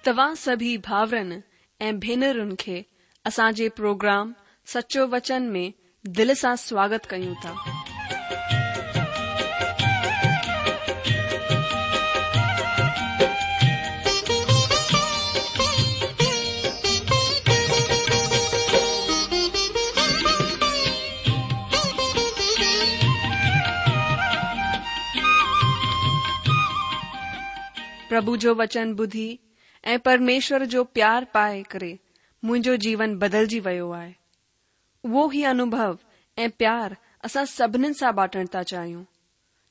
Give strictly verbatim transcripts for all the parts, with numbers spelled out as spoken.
توهان سڀئي ڀائرن ۽ ڀينرن کي اسان جي پروگرام سچو وچن ۾ دل سان سواگت ڪيون ٿا. پرڀو جو وچن ٻڌي ۽ پرميشور جو پيار پائي ڪري منهنجو جيون بدلجي ويو آهي. اهو ئي انوڀو ۽ پيار اسان سڀنين سان بانٽڻ ٿا چاهيون.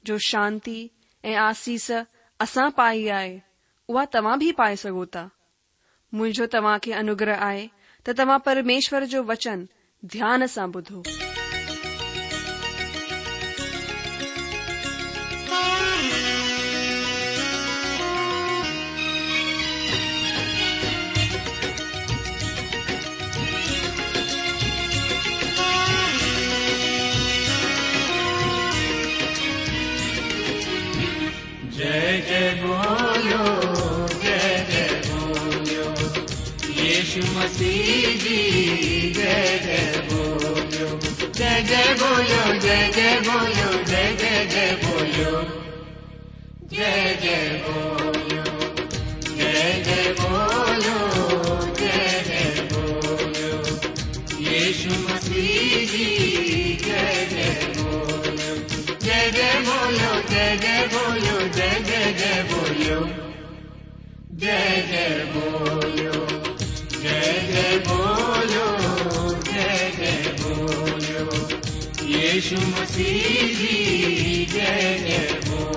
جو شانتي ۽ آسيس اسان پائي آهي، اها توهان به پائي سگهو ٿا. منهنجو توهان کي انوگره آهي ته توهان پرميشور جو وچن ڌيان سان ٻڌو. जय जय बोलो, जय जय बोलो, यीशु मसीह जी जय जय बोलो, जय जय बोलो, जय जय बोलो, जय जय जय बोलो, जय जय बोलो, जय जय बोलो, जय जय बोलो, यीशु मसीह जी जय जय बोलो, जय जय बोलो, जय जय बोलो, जय जय जय बोलो, जय जय बोलो, जय जय बोलो, जय जय बोलो, यीशु मसीह जी जय जय बोलो।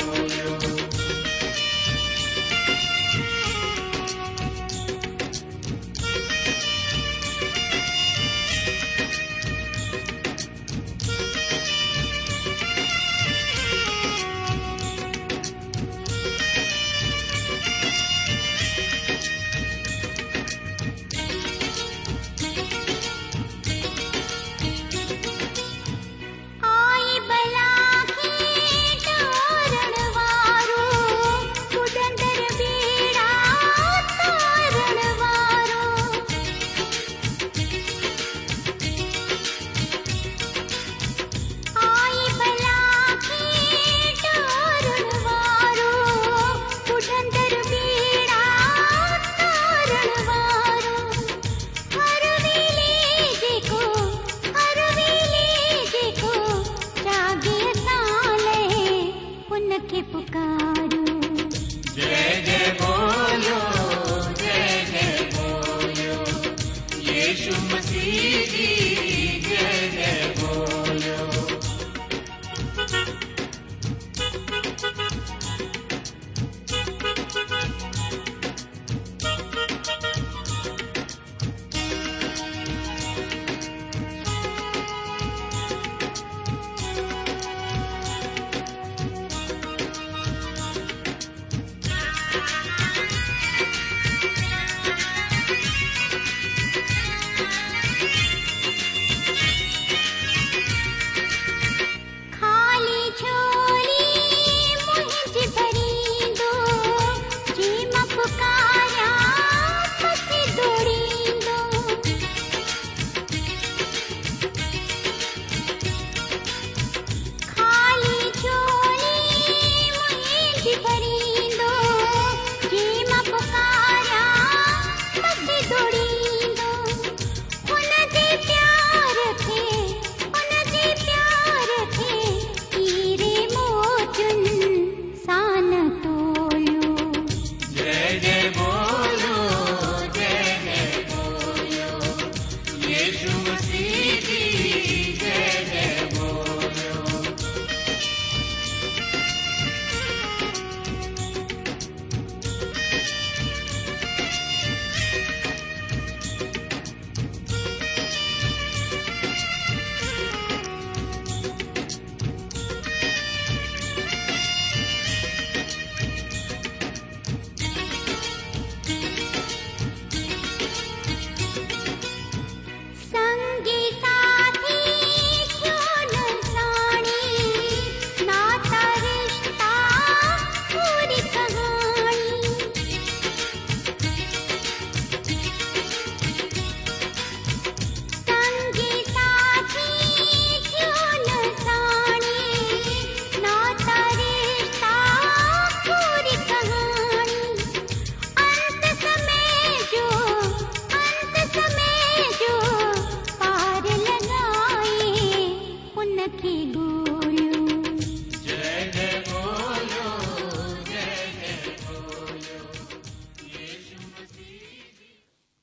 आई बला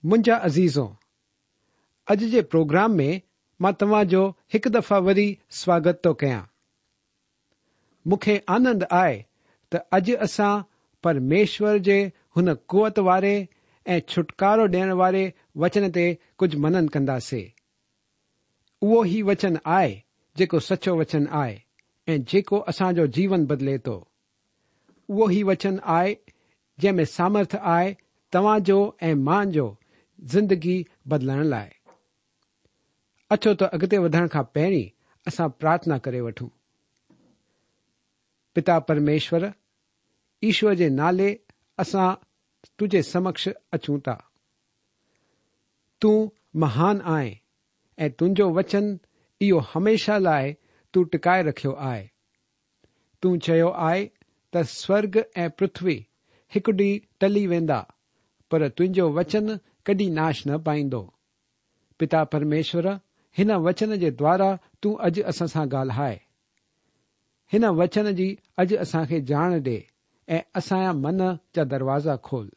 منهنجا عزيزو، اڄ جي پروگرام ۾ مان توهان جو هڪ دفعا وري سواگت ٿو ڪيان. مون کي آنند آهي ته اڄ اسان پرميشور جي هن قوت واري ۽ ڇوٽڪارو ڏيڻ واري وچن تي ڪجهه منن ڪنداسين. اهو ئي وچن آهي جيڪو سچو وچن آهي ۽ جيڪو اسان جو جيون بدلي ٿو. اهو ئي وچن آهي جنهن ۾ سامرٿ آهي توهان جو ۽ مان جو زندگي بدلڻ لاءِ. اچو ته اڳتي وڌڻ کان پهرين اسان پرارٿنا ڪري وٺون. پتا پرميشور، ايشور جي نالي اسان تنهنجي سمڪش اچون ٿا. تون مهان آهين ۽ تنهنجو وچن اهو هميشه لاءِ تون ٽڪائي رکيو آهي. تون چيو آهي ته سورڳ ۽ پرٿوي هڪ ڏينهن ٽلي ويندا، پر تنهنجو وچن ڪڏهن ناش نه پائيندو. پتا پرميشور، هن وچن جي دوارا تون اڄ اسان سان ڳالهائي. هن وچن جي اڄ اسان کي ڄاڻ ڏي ۽ اسان جا من جا دروازا کول.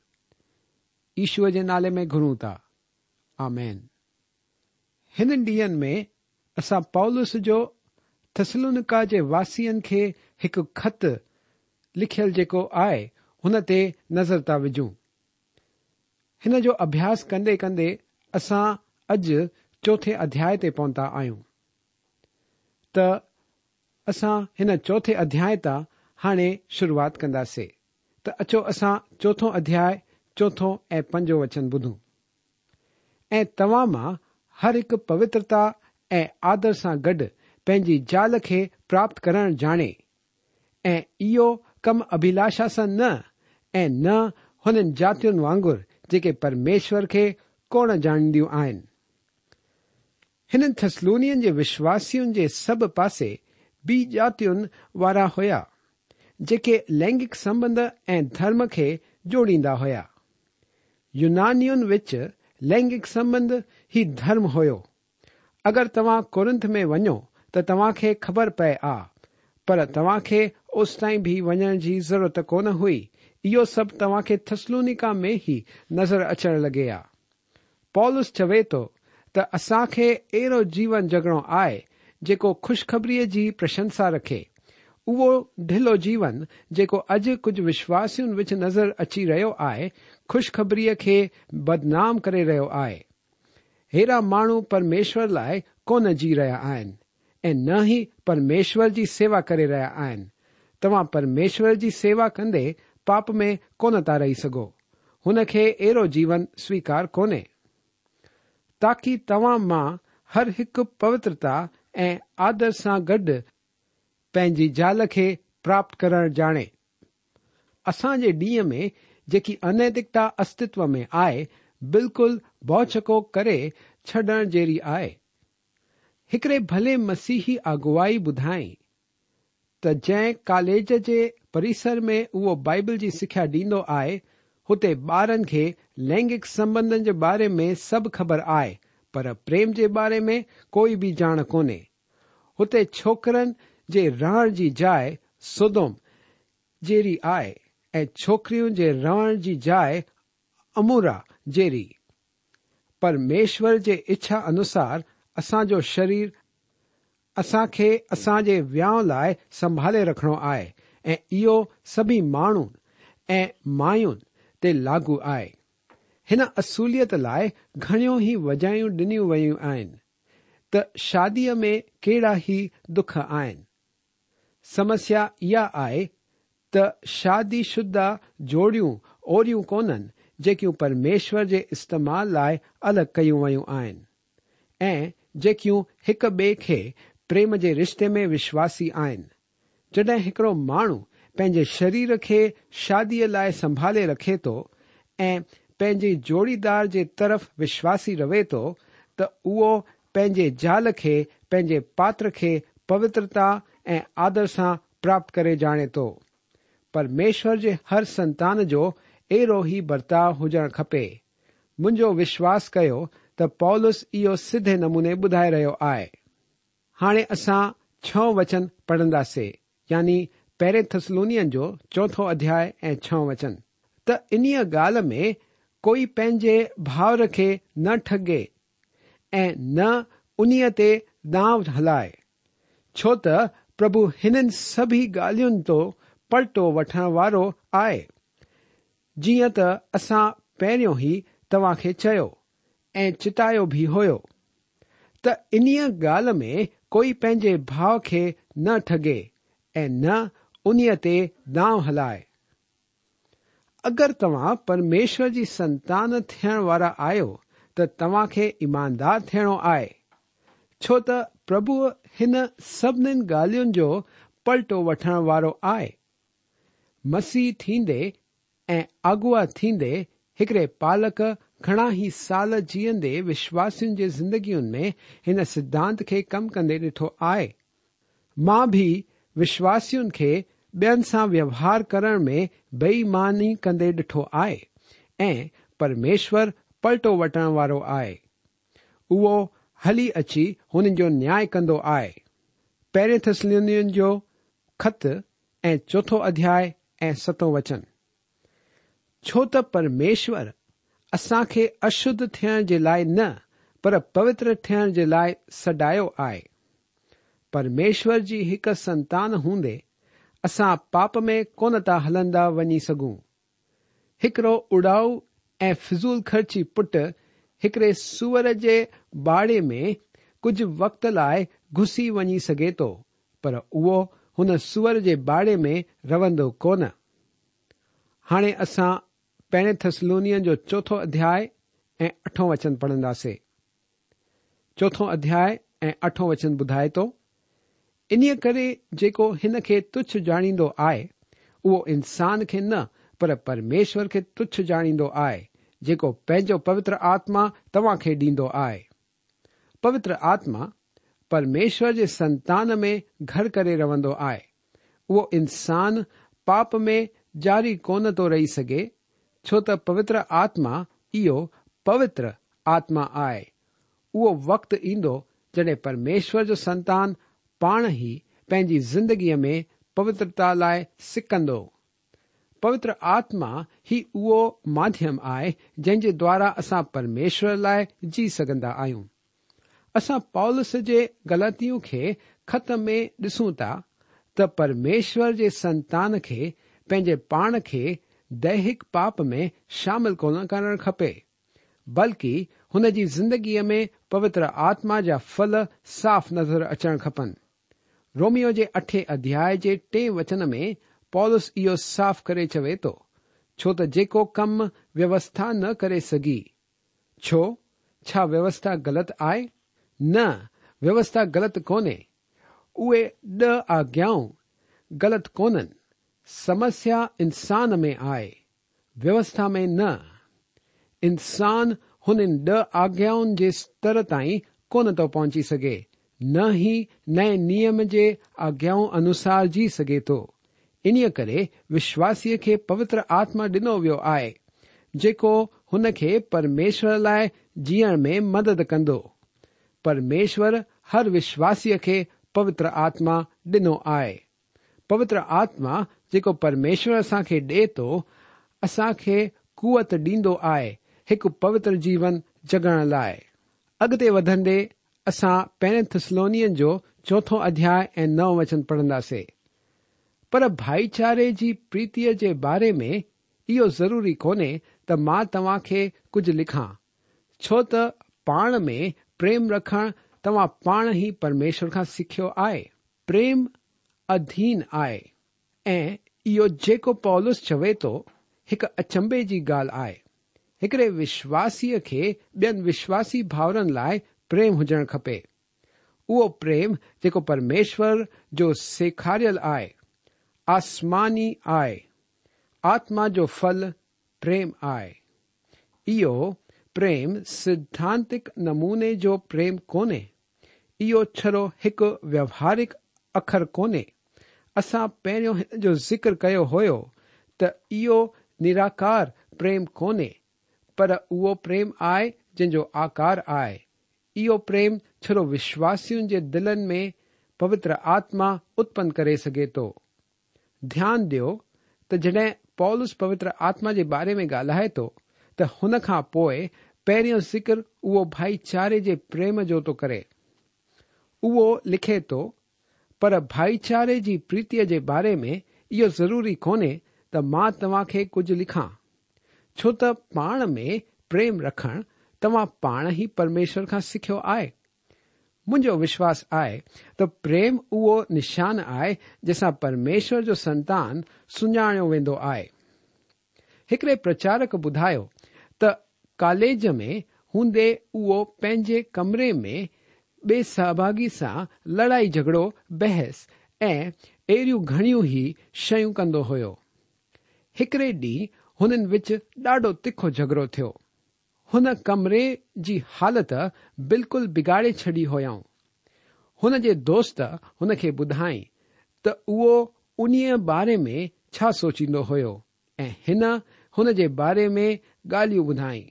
ايشور جي نالي ۾ گهرون ٿا، آمين. هنن ڏينهن ۾ اسان پولس جو ٿسلونيڪا جي واسين کي هڪ خط لکيل جيڪو آهي هن تي نظر ٿا وجهون. هن جو اڀياس ڪندي ڪندي اسان اڄ چوٿين اڌياءِ تي پهتا آهيون. ته اسان هن چوٿين اڌياءِ تان هاڻي شروعات ڪنداسين. ته اچو اسان چوٿون اڌياءِ چوٿون ۽ پنجون وچن ٻڌون. ۽ توهان مان هر هڪ پوترتا ۽ آدر سان گڏ پنهنجي زال کي پراپت ڪرڻ ڄاڻي، ۽ اهو ڪم اڀلاشا سان نه ۽ نه هنن جاتين وانگر جيڪي پرميشور کي ڪونه ڄاڻينديون آهن. هنن ٿسلونين جي وشواسين جي سڀ پاسي ٻي جاتين وارا هيا، جيڪي لينگڪ سنٻنڌ ۽ ڌرم کي جوڙيندا هيا. يونانين وچ لينگڪ سنٻنڌ ئي ڌرم هيو. اگر توهان ڪورنٿ ۾ وڃو ته توهان کي خبر پئي آ، پر توهان کي اوستائين به وڃڻ جي ضرورت ڪونه هئي. اهو سڀ توهان کي ٿسلونيڪا ۾ ئي نظر اچڻ لڳي آ. پولس چوي ٿو ته اسان کي اهڙو جيون جڳڻو آهي جيڪو خوشخبريءَ جي پرشنسا رکي. اهو ڍلو جيون جيڪو اڄ ڪجهه وشواسين وچ نظر اچي رهيو آهي، خوشخبريءَ کي بدنام ڪري رهيو آهي. ههڙا ماڻهو پرميشور لاءِ ڪونه جي رهيا آهن ۽ نه ئي پرميشور جي سيوا ڪري رهيا آهن. توهان پرميشور جي سيوا ڪندي پاپ ۾ ڪونه ٿا رهي سگهو. هن کي اهڙو جيون سويڪار ڪونهي. تاڪه توهان مان هر هڪ پوترتا ۽ آدر سان گڏ پنهنجي زال کي پراپت ڪرڻ ڄاڻي. اسان جي ڏينهن ۾ جيڪي انيتڪتا استتو ۾ آهي، بلڪل ڀؤنچڪو ڪري ڇڏڻ جهڙي آهي. هڪڙي ڀلي مسيحي اڳواڻ ٻڌائي ته جنهن ڪاليج جي پرسر ۾ اهو بائيبل جي سکيا ڏيندو آهي، هتي ٻارن کي لينگڪ سنٻنڌن جي باري ۾ سڀ خبر آهي، پر پريم جي باري ۾ ڪوئي به ڄاڻ ڪونهي. هتي ڇوڪرن جي رهڻ جي جاءِ سودوم جهڙي آهي ۽ ڇوڪرين جي رهڻ جي جاءِ عمورا جهڙي. پرميشور جي اڇا انوسار اسان جو شرير اسان کي اسان جي وهانءُ لاءِ سنڀالي رکڻو آهي ۽ اهو سڀئي ماڻهن ۽ ماين تي لاڳو آهي. هن اصوليت لاءِ گهڻيون ئي وجهيون ڏنيون ويون آهن ته شاديءَ ۾ ڪهڙا ئي دک آهن. سمسيا اها آهي ته شادي شده جوڙيون اهڙيون ڪونهن جيڪيون پرميشور جي استعمال لاءِ الڳ ڪيون ويون آهن ۽ جيڪيون هڪ ٻئي کي پريم جي رشتي ۾ وشواسي آهن. جڏهن هڪڙو ماڻهو پنهنجي شرير کي شاديءَ لاءِ سنڀالي رکي ٿو ۽ پنهنجي جوڙيدار جي طرف وشواسي رهي ٿو، ته اهو پنهنجي زال کي پنهنجي پاتر کي پوترتا ۽ آدر سان پراپت ڪري ڄاڻي ٿو. پرميشور جي هر سنتان جو اهڙو ئي برتاءُ هجڻ کپي. منهنجو وشواس ڪيو ته پولس اهو سڌي نموني ٻڌائي رهيو آهي. هاڻي اسان ڇهون وچن پڙهنداسين، يعني پهرين ٿسلونين جو چوٿون اڌياءُ ۽ ڇهون وچن. ته انهيءَ ڳالهه ۾ ڪوئي پنهنجي ڀائر کي نه ٺڳي ۽ نه انهيء تي دانءُ هلائي، ڇو ته پرڀو هنن سڀئي ڳالهين جو پلٽو وٺڻ وارو آهي، جيئن ته اسان پهريون ئي توهان کي چيو ۽ چتايو به هيو ته انهيء ڳالهه ۾ ڪوئي پنهنجي ڀاءُ کي نه ٺڳي ۽ نه انهيء تي دانءُ هلائي. اگر توهان پرميشور جي سنتان ٿيڻ وارا آهيو ته توهان کي ايماندار ٿيڻو آهي، ڇو ته پرڀو هن سڀني ڳالهين جو پلٽو وٺڻ وارو آهي. مسيح ٿيندي ۽ اڳوا ٿيندي هڪڙي پالڪ گهڻا ئي سال جيئندي وشواسين جي زندگين ۾ هن سڌانت کي ڪم ڪندي ڏٺو آهي. مان به وشواسين کي ٻين سان ويوهار ڪرڻ ۾ بي ايماني ڪندي ڏٺو آهي ۽ پرميشور پلٽو وٺڻ وارو آهي. اهو هلي اچي هنن جو نياءُ ڪندو آهي. پهرين ٿيسلونين جو خط ۽ چوٿون اڌياءُ ۽ ستون وچن. ڇو ته پرميشور اسان کي اشڌ ٿيڻ جي لاءِ نه پر پوتر ٿيڻ جي لاءِ سڏايو آهي. پرميشور جي هڪ سنتان هوندي اسان پاپ ۾ ڪونه ٿا هلندا وڃي سگهون. هڪڙو اڏائو ۽ فضول خرچي پٽ هڪڙي سوئر جي باڙي ۾ ڪجهه وقت لاءِ گهسي وڃي سگهي ٿو، پر اهو هن سوئر جي باڙي ۾ رهندو ڪونه. هاڻي اسان پهرين ٿيسلونين جو چوٿون اڌياءُ ۽ اٺون وچن پڙهنداسين. چوٿون اڌياءُ ۽ اٺون وچن ٻڌائي ٿو، انهيءَ ڪري جيڪو هن کي تڇ ڄاڻيندو آهي اهو انسان کي نه پر پرميشور کي تڇ ڄاڻيندو آهي، جيڪو پنهنجو پوتر آتما توهان کي ڏيندو آهي. پوتر آتما پرميشور جي سنتان ۾ گهر ڪري رهندو آهي. اهو انسان پاپ ۾ جاري ڪونه ٿو رهي سگهي، ڇو ته پوتر آتما اهو پوتر آتما آهي. اهو وقت ايندو جڏهن پرميشور جو سنتان پاڻ ئي پنهنجي زندگيءَ ۾ پوترتا لاءِ سڪندو. پوتر آتما ئي اهو ماڌيم آهي جنهن جي دوارا اسان پرميشور لاءِ جي سگهندا آهيون. اسان پولس جي گلاتين کي خط ۾ ڏسون ٿا ته پرميشور جي سنتان کي پنهنجي پاڻ کي ديهڪ پاپ ۾ شامل ڪونه ڪرڻ کپي، بلڪه هن جي زندگيءَ ۾ پوتر آتما جا ڦل صاف نظر اچڻ کپن. روميو جي اٺين اڌياءُ جي ٽئين وچن ۾ پولس اهو صاف ڪري چوي ٿو، ڇو ته جيڪو ڪم ويوسٿا نه ڪري سگهي، ڇو ڇا ويوسٿا غلط آهي؟ نه، ويوسٿا غلط ڪونهي. اهي ڏهه آگيائون غلط ڪونهن. سمسيا انسان ۾ آهي، ويوسٿا ۾ نه. انسان هنن ڏهه آگيائن جي ستر تائين ڪونه ٿو پهچي سگهي، نه ئي نئين نيم جي آگيائن انوسار جي سگهي ٿو. انهيءَ ڪري وشواسيءَ کي پوتر آتما ڏنو ويو آهي، جيڪو هن کي پرميشور لاءِ جيئڻ ۾ مدد ڪندو. پرميشور هر وشواسيءَ کي پوتر آتما ڏنو آهي. پوتر آتما جيڪو پرميشور اسان کي ڏئي ٿو، اسان کي قوت ڏيندو آهي هڪ پوتر جيون جڳڻ لاءِ. اڳتي وڌندي اسان پهرين ٿيسلونين جو چوٿون اڌياءُ ۽ نئون وچن پڙهنداسين. پر ڀائيچاري جي پريتيءَ جي باري ۾ اهو ضروري ڪونهي ته مان توهان کي ڪجهه لکان، ڇو ته پاڻ ۾ پريم رکڻ توهان پاڻ ئي پرميشور کان سکيو آهي. پريم اڌين آهي ۽ اهو جيڪو پولس چوي ٿو هڪ اچنڀي جي ڳالهه آهي. هڪڙي وشواسيءَ کي ٻين وشواسي ڀائرن لاءِ پريم هجڻ کپي. اهو پريم جيڪو پرميشور جو سيکاريل آهي، آسماني آهي. آتما جو ڦل پريم آهي. اهو پريم سڌانتڪ نموني جو پريم ڪونهي. اهو ڇڙو هڪ ويوهارڪ اکر ڪونهي. اسان پهريون هن جو ذڪر ڪيو هيو ته اهو نراڪار پريم ڪونهي، پر اهو پريم آهي جنهن جو آڪار آهي. اهو پريم ڇڙو وشواسين جي دلن ۾ پوتر آتما اتپن ڪري سگهي ٿو. ڌيان ڏيو ته جڏهن پولس پوتر آتما جي باري ۾ ڳالهائي ٿو ته ته هن کان پوءِ پهريون ذڪر اهو ڀائيچاري جي پريم جو ٿو ڪري. اهو لکي ٿو، پر ڀائيچاري جي پريتيءَ جي باري ۾ اهو ضروري ڪونهي ته مان توهان کي ڪجهه لکان، ڇو ته پاڻ ۾ پريم رکڻ توهان پاڻ ئي پرميشور کان سکيو آهي. منهنجو وشواس آهي ته پريم اهو نشان آهي جنهن سان پرميشور جو سنتان سڃاڻيو ويندو آهي. هڪڙي پرچارڪ ٻڌايو ته ڪاليج ۾ هوندي اهو پنهنجي ڪمري ۾ ٻئي سهڀاڳي سان لڙائي جهڳڙو، بحث ۽ اهڙيون گهڻيون ئي شيون ڪندو هيو. هڪڙي ڏينهن هنن وچ ڏاڍو تکو جهڳڙو ٿيو. هن ڪمري جي حالت بلڪل بگاڙي ڇڏي هيائون. هن جي دوست هن کي ٻڌائين ته اهو انهيءَ باري ۾ ڇا سوچيندو هيو ۽ هن هن جي باري ۾ ڳالهيون ٻڌائين.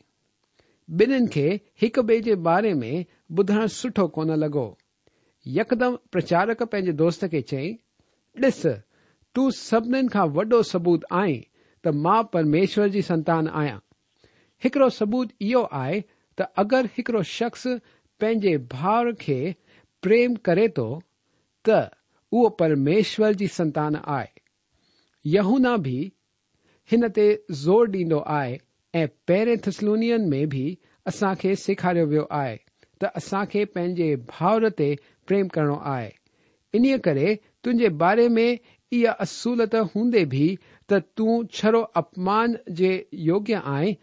ٻنهن کي هڪ ٻئي جي باري ۾ ٻڌڻ سٺو ڪونه لڳو. يڪدم پرچارڪ پنهنجي دوست کي چيائين، ڏس، تون سڀنين کان وڏو ثبوت آهين ته مان پرميشور جي سنتان آهيان. هڪڙو ثبوت اهو آهي ته اگر هڪڙو شخص پنهنجي ڀاءُ کي پريم ڪري ٿو ته اهو پرميشور جي سنتان آهي. يوحنا به هن تي زور ڏيندو آهي ۽ پهرين ٿسلونين ۾ به اسان کي سيکاريو ويو آهي ته اسان کي پنهنجي ڀائر تي پريم ڪرڻو آهي. انهيءَ ڪري تنهنجي باري ۾ اها اصولت هوندي به ته تون ڇڙو اپمان جي يوگيه آهين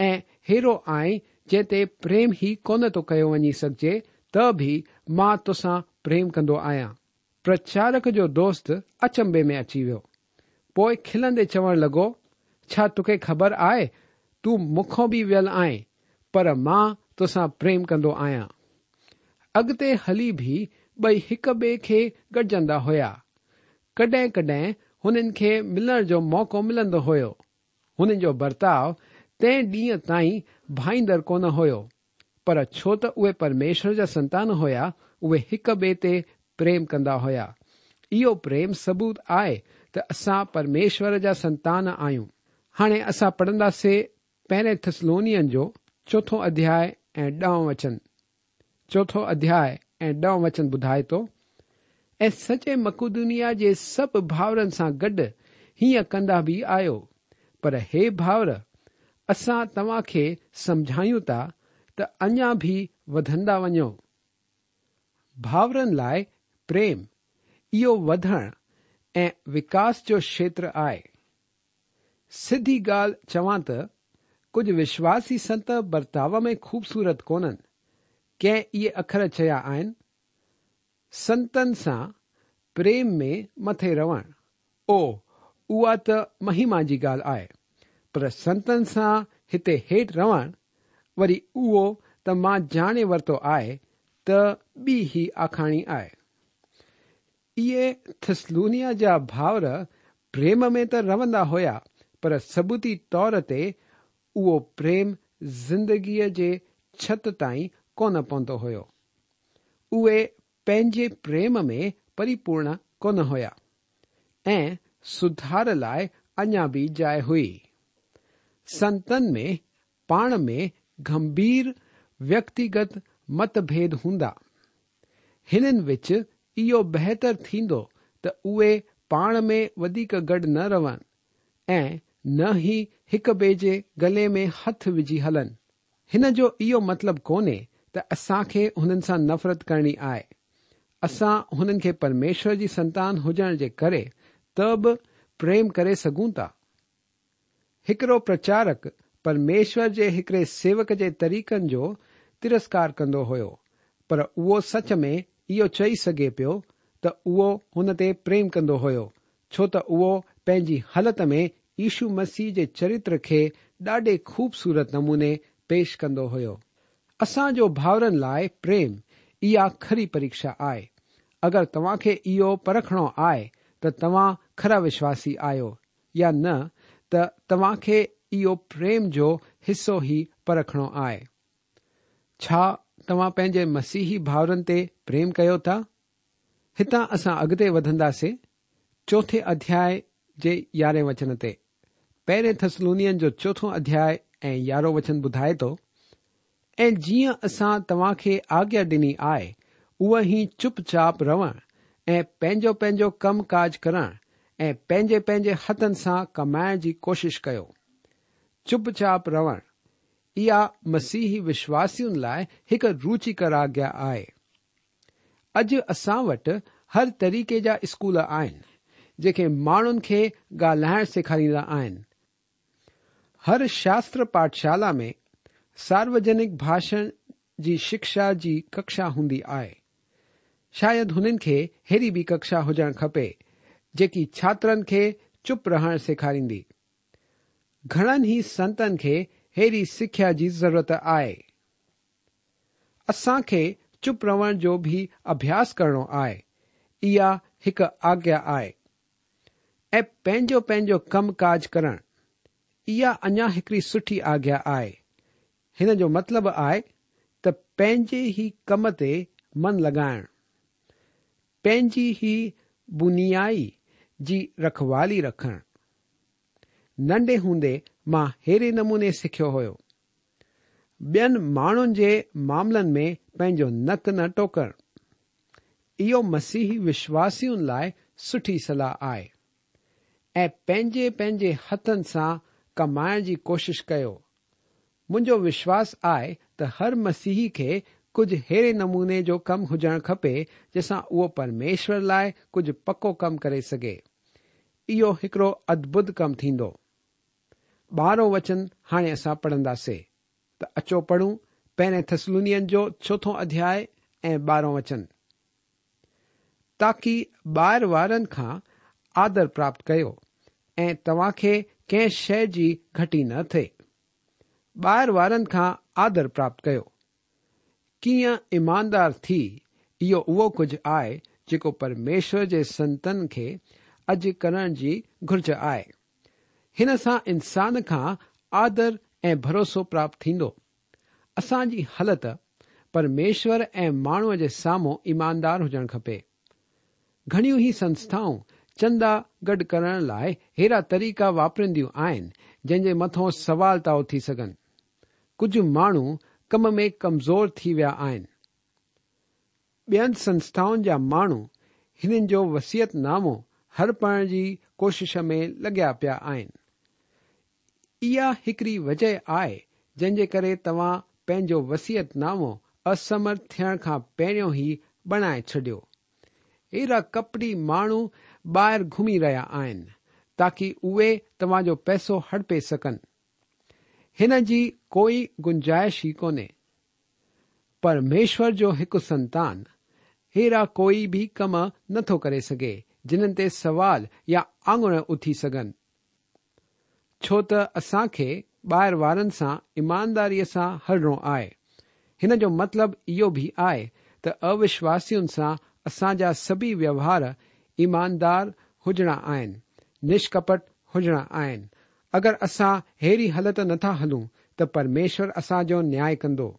۽ ههڙو آهين جنهن تي پريم ئي ڪونه ٿو ڪيو وڃي سگهجي، ته به مان توسان پريم ڪندو آهيان. پرچارڪ جو دوست اچنڀي ۾ اچي ويو. پوءِ کلندي چوڻ لڳو، ڇا توکي خبر آهي تون مون کان به ويل آهين، پر مان توسان پريم ڪندو آهيان. اڳتي هلي به ٻئي هڪ ٻئي کي گڏجندا هئا. ڪڏهن ڪڏهن هنن کي ملڻ جو موقعو ملندو هيو. هنن جو برتاءُ تنهن ڏينهن تائين ڀائيندڙ ڪونه هيو، پر ڇو ته اهي پرميشور جا سنتان هئا، اهي هڪ ٻئي تي پريم ڪندا هئا. اهو پريم ثبوت آهي ته اسان پرميشور جا سنتان آهيون. هاڻي اسان پڙهنداسين پهرين ٿسلونين جو چوٿون اڌياءُ ۽ ڏهون وچن. چوٿون اڌياءُ ۽ ڏهون وچن ٻڌائي ٿو، ۽ سڄي مڪدونيا جي سڀ ڀائرن سان گڏ هيئن ڪندا به آهيو، پر هي ڀائر، اسان توهان کي سمجهايون ٿا ته اڃا به وڌندا وڃو. ڀائرن لاءِ پريم اهو وڌڻ ۽ وڪاس جو کيتر آهي. سڌي ڳالهه چوان ته ڪجهه وشواسي سنت برتاءُ ۾ خوبصورت ڪونهن. ڪنهن اهي اکر چيا آهن، سنتن سان پريم ۾ مٿي رهڻ، او اها ته مهما جي ڳالهه آهي، پر سنتن سان هتي هيٺ رهڻ، وري اهو ته مان ڄاڻي ورتو آهي ته ٻي ئي آکاڻي آهي. اهي ٿسلونيا جا ڀائر پريم ۾ ته رهندا هئا، پر ثبوتي طور تي اهو پريم زندگيءَ جي ڇت تائين ڪونه پهتو هيو. اهي پنهنجي پريم ۾ پريپورڻ ڪونه هئا ۽ سڌار لاءِ اڃا به جاءِ هئي. سنتن ۾ پاڻ ۾ گنڀير ويڪتيگت متڀيد هوندا. هنن وچ اهو بهتر ٿيندو ته اهي پاڻ ۾ وڌيڪ گڏ نه رهن ۽ نه ئي هڪ ٻئي جي گلي ۾ هٿ وجهي هلن. هن جو اهو مطلب ڪونهي ته اسان کي هنن سان نفرت ڪرڻي آهي. اسان هنن کي پرميشور جي سنتان هجڻ جي ڪري ته به پريم ڪري سگهون ٿا. هڪڙو پرچارڪ پرميشور جي هڪڙي سيوڪ جي طريقن جو ترسڪار ڪندو هيو، پر اهو سچ ۾ اهو چئي سگهي پيو ته اهو هن تي پريم ڪندو هيو، ڇو ته اهو پنهنجي حالت ۾ يشو مسيح جي چرتر کي ڏاڍي خوبصورت نموني پيش ڪندو هيو. اسان جو ڀائرن لاءِ پريم اها کري پريڪشا آهي. اگر توهان کي اهو پرکڻو آهي ته توهان کرا وشواسي آهيو يا نه، ته توهان کي اهو پريم جو حصو ئي پرکڻو آهي. ڇا توهان پنهنجي مسيحي ڀائرن تي پريم ڪيو ٿا؟ هتان اسان اڳتي وڌنداسين چوٿين اڌياءِ جي يارهين وچن تي. پهرين ٿسلونين جو چوٿون اڌياءِ ऐं यारहों वचन ॿुधाए थो, ऐं जीअं असां तव्हां खे आज्ञा ॾिनी आहे उहा ई चुपचाप रहण ऐं पंहिंजो पंहिंजो कमु काज करण ऐं पंहिंजे पंहिंजे हथनि सां कमाइण जी कोशिशि कयो। चुपचाप रहण इहा मसीही विश्वासियुनि लाइ हिकु रुचिकर आज्ञा आहे। अॼु असां वटि हर तरीक़े जा स्कूल आहिनि जेके माण्हुनि खे ॻाल्हाइणु सेखारींदा आहिनि। हर शास्त्र पाठशाला में सार्वजनिक भाषण जी शिक्षा जी कक्षा हूंदी आहे। शायदि हुननि खे अहिड़ी बि कक्षा हुजणु खपे जेकी छात्रनि खे चुप रहणु सेखारींदी। घणनि ई संतनि खे अहिड़ी सिख्या जी ज़रूरत आहे। असांखे चुप रहण जो बि अभ्यास करिणो आहे। इहा हिकु आज्ञा आहे। ऐं पंहिंजो पंहिंजो कमु काज करणु इहा अञा हिकिड़ी सुठी आज्ञा आहे। हिन जो मतिलबु आहे त पंहिंजे ई कम ते मन लॻाइणु, पंहिंजी ई बुनियाई जी रखवाली रखणु। नंढे हूंदे मां अहिड़े नमूने सिखियो हुयो, ॿियनि माण्हुनि जे मामलनि में पंहिंजो नक न टोकणु। इहो मसीही विश्वासियुनि लाइ सुठी सलाह आहे। ऐं पंहिंजे पंहिंजे हथनि सां कमाइण जी कोशिशि कयो। मुंहिंजो विश्वास आहे त हर मसीही खे कुझु अहिड़े नमूने जो कमु हुजणु खपे जंहिंसां उहो परमेश्वर लाइ कुझु पको कमु करे सघे। इहो हिकिड़ो अद्भुत कमु थींदो। ॿारहों वचन हाणे असां पढ़ंदासीं, त अचो पढ़ूं पहिरें थिस्सलुनीयनि जो चोथों अध्याय ऐं ॿारहों वचन। ताकी ॿाहिरि वारनि खां आदर प्राप्त कयो ऐं तव्हांखे कंहिं शइ जी घटी न थिए। ॿाहिरि वारनि खां आदर प्राप्त कयो। कीअं ईमानदार थी, इहो उहो कुझु आहे जेको परमेश्वर जे संतनि खे अॼु करण जी घुर्ज आहे। हिन सां इंसान खां आदर ऐं भरोसो प्राप्त थींदो। असांजी हालत परमेश्वर ऐं माण्हूअ जे साम्हूं ईमानदार हुजणु खपे। घणियूं ई संस्थाऊं चंदा गॾु करण लाइ अहिड़ा तरीक़ा वापरींदियूं आहिनि जंहिंजे मथां सवाल था उथी सघनि। कुझु माण्हू कम में कमज़ोर थी विया आहिनि। ॿियनि संस्थाउनि जा माण्हू हिननि जो वसियतनामो हड़पण जी कोशिश में लॻिया पिया आहिनि। इहा हिकिड़ी वजह आहे जंहिंजे करे तव्हां पंहिंजो वसियतनामो असमर्थ थियण खां पहिरियों ई बणाए छॾियो। अहिड़ा कपटी माण्हू ॿाहिरि घुमी रहिया आहिनि ताकी उहे तव्हांजो पैसो हड़पे सघनि। हिन जी कोई गुंजाइश ई कोन्हे। परमेश्वर जो हिकु संतान अहिड़ा कोई बि कम नथो करे सघे जिन्हनि ते सवाल या आङुर उथी सघनि, छो त असांखे ॿाहिरि वारनि सां ईमानदारीअ सां हलणो आहे। हिन जो मतिलबु इहो बि आहे त अविश्वासियुनि सां असांजा सभई व्यवहार ईमानदार हुजणा आहिनि, निष्कपट हुजणा आहिनि। अगरि असां अहिड़ी हालत नथा हलूं त परमेश्वर असांजो न्याय कंदो।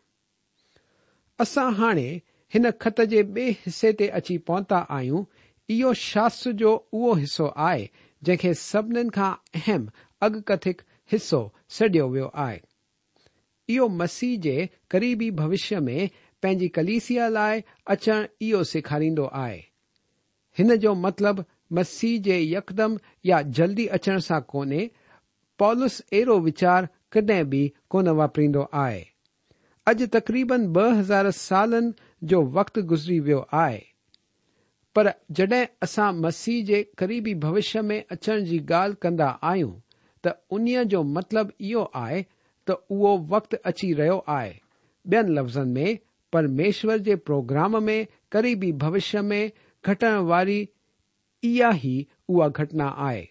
असां हाणे हिन ख़त जे ॿिए हिसे ते अची पहुता आहियूं। इहो शास्त्र जो उहो हिसो आहे जंहिंखे सभिनीनि खां अहम अॻकथिक हिसो सॾियो वियो आहे। इहो मसीह जे क़रीबी भविष्य में पंहिंजी कलीसिया लाइ अचणु इहो सेखारींदो आहे। हिन जो मतिलबु मसीह जे यकदम या जल्दी अचण सां कोन्हे। पौलुस अहिड़ो वीचार कॾहिं बि कोन वापरींदो आहे। अॼु तक़रीबन ॿ हज़ार सालनि जो वक़्तु गुज़री वियो आहे, पर जॾहिं असां मसीह जे क़रीबी भविष्य में अचण जी ॻाल्हि कंदा आहियूं त उन्हीअ जो मतिलबु इहो आहे त उहो वक़्तु अची रहियो आहे। ॿियनि लफ़्ज़नि में परमेश्वर जे प्रोग्राम में क़रीबी भविष्य में घटण वारी इहा ई उहा घटना आहे।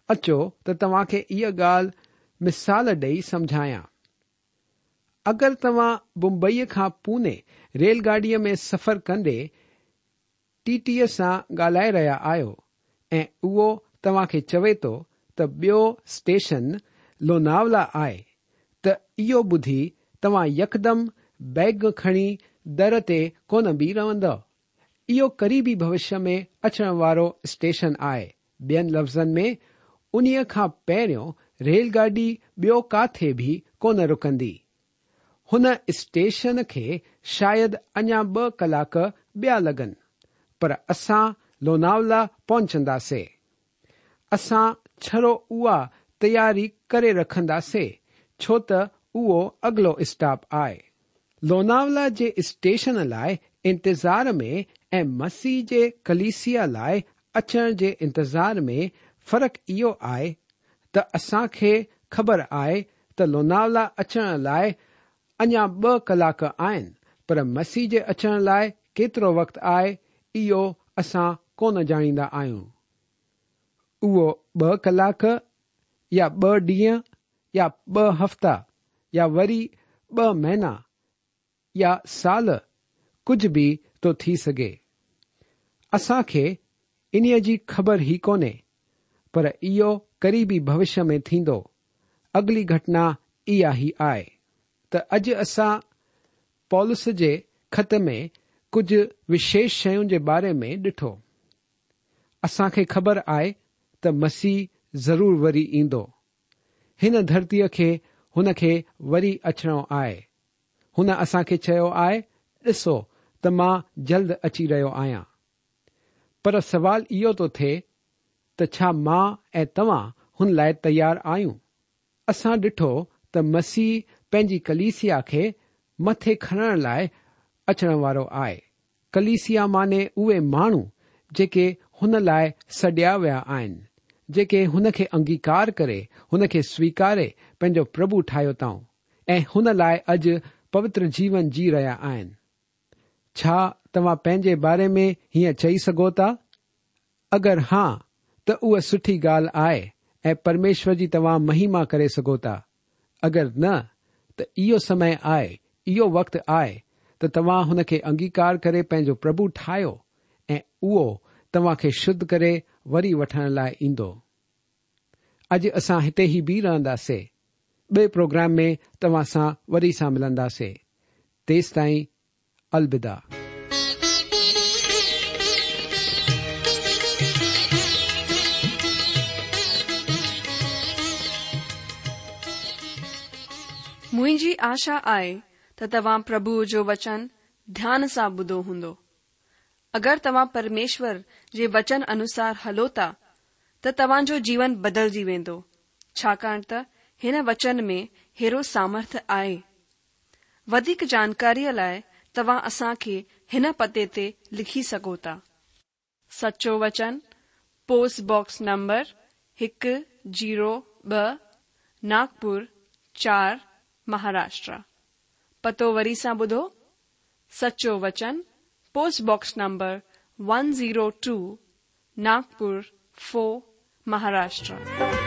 अचो त तव्हांखे इहा ॻाल्हि मिसाल ॾेई सम्झायां। अगरि तव्हां मुंबईअ खां पुणे रेलगाॾीअ में सफ़र कंदे टीटीअ सां ॻाल्हाए रहिया आहियो ऐं उहो तव्हांखे चवे थो त ॿियो स्टेशन लोनावला आहे, त इहो ॿुधी तव्हां यकदम बैग खणी दर ते कोन बीह रहंदव। इहो क़रीबी भविष्य में अचण वारो स्टेशन आहे। ॿियनि लफ़्ज़नि में उन्हीअ खां पहिरियों ريل گاڏي ٻيو ڪاٿي به ڪونه رڪندي. هن اسٽيشن کي شايد اڃا ٻه ڪلاڪ ٻيا لڳن، پر اسان لوناولا پهچنداسين. اسان ڇڙو اها تياري ڪري رکنداسين، ڇو ته اهو اڳلو اسٽاپ آهي. لوناولا جي اسٽيشن لاءِ انتظار ۾ ۽ مسيح جي ڪليسيا لاءِ اچڻ جي انتظار ۾ فرق اهو آهي ته اسان کي خبر آهي ته لوناولا اچڻ لاءِ اڃا ٻه ڪلاڪ آهن، پر مسيح جي اچڻ لاءِ ڪيترو وقت آهي اهو اسان ڪونه ڄاڻيندا آهيون. اهو ٻه ڪلاڪ يا ٻه ڏينهن يا ٻه هفتا يا وري ٻه مهينا يا سال ڪجهه به ٿو ٿي سگهي. اسان کي انهيءَ جي خبر ئي ڪونهي، پر اهو قريبي ڀوشيه ۾ ٿيندو. اڳلي گهٽنا اها ئي آهي. ته اڄ اسان پولس جي خط ۾ ڪجهه وشيش شين جي باري ۾ ڏٺو. اسان کي خبر آهي ته مسيح ضرور وري ايندو. هن ڌرتيءَ کي هن کي وري اچڻو آهي. هن اسان کي چيو آهي، ڏسو ته مان جلد اچي رهيو آهيان. پر سوال اهو ٿو ٿئي ته ڇا مان ۽ توهان هن لاءِ تيار آهيون؟ اسان ڏٺو ته مسيح پنهنجي ڪليسيا کي مٿي کڻڻ لاءِ اچڻ وارو آهي. ڪليسيا معني اهي ماڻهو جيڪي هن لاءِ سڏيا ويا آهن، جيڪي هن کي انگيڪار ڪري هن کي سويڪاري پنهنجو پرڀو ٺاهيو اٿئون ۽ هن لاءِ اڄ پوتر جيون جي رهيا آهن. ڇا توهان پنهنجي باري ۾ هيئن چئي سگهو ٿا؟ اگر ها ته اها سٺي ڳالهه آهي ۽ پرميشور جي توهان مهما ڪري سگهو ٿا. اگر نه ته اهو سمي آهي، اهو وقت آهي ته توهان هن کي انگيڪار ڪري پنهنجو پرڀو ٺاهيو ۽ اهو توهان کي شڌ ڪري وري وٺڻ لاءِ ايندو. اڄ اسان هتي ئي بيهه رهنداسين. ٻئي پروگرام ۾ توهان سان وري سان ملنداسين. تيس تائين الوداع. منهنجي آشا آهي ته توهان پرڀوءَ جو وچن ڌيان سان ٻڌو هوندو. اگر توهان پرميشور جي وچن انوسار هلو ٿا ته توهان جو جيون بدلجي ويندو، ڇاڪاڻ ته هن وچن ۾ هيرو سامرٿ آهي. وڌيڪ جانڪاريءَ لاءِ توهان اسان کي هن پتي تي لکي سگهو ٿا. سچو وچن، پوسٽ باڪس نمبر هڪ زيرو ٻه، ناگپور چار، مهاراشٽر. پتو وري سان ٻڌو، سچو وچن، post box number one zero two, Nagpur four, Maharashtra.